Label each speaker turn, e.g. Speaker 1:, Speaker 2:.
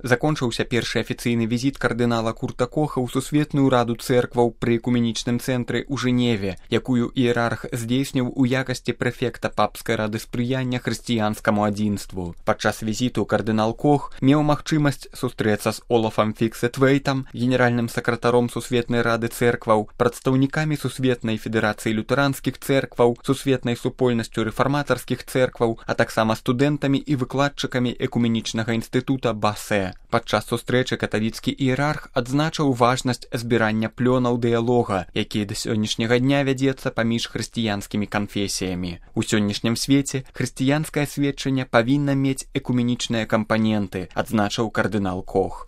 Speaker 1: Закончыўся першы афіцыйны візіт кардынала Курта Коха ў Сусветную раду цэркваў пры экуменічным цэнтры ў Жэневе, якую іерарх здзейсніў у якасці прэфекта папскай рады спрыяння хрысціянскаму адзінству. Падчас візіту кардынал Кох меў магчымасць сустрэцца з Олафам Фіксетвейтам, генеральным сакратаром Сусветнай рады цэркваў, прадстаўнікамі Сусветнай федэрацыі лютэранскіх цэркваў, Сусветнай супольнасцю рэфарматарскіх цэркваў, а таксама студэнтамі і выкладчыкамі экуменічнага інстытута Басе. Падчас сустрэчы каталіцкі іерарх адзначыў важнасць збірання плёнаў дыялога, які да сённяшняга дня вядзецца паміж хрысціянскімі канфесіямі. У сённяшнім свеце хрысціянскае сведчанне павінна мець экуменічныя кампаненты, адзначыў кардынал Кох.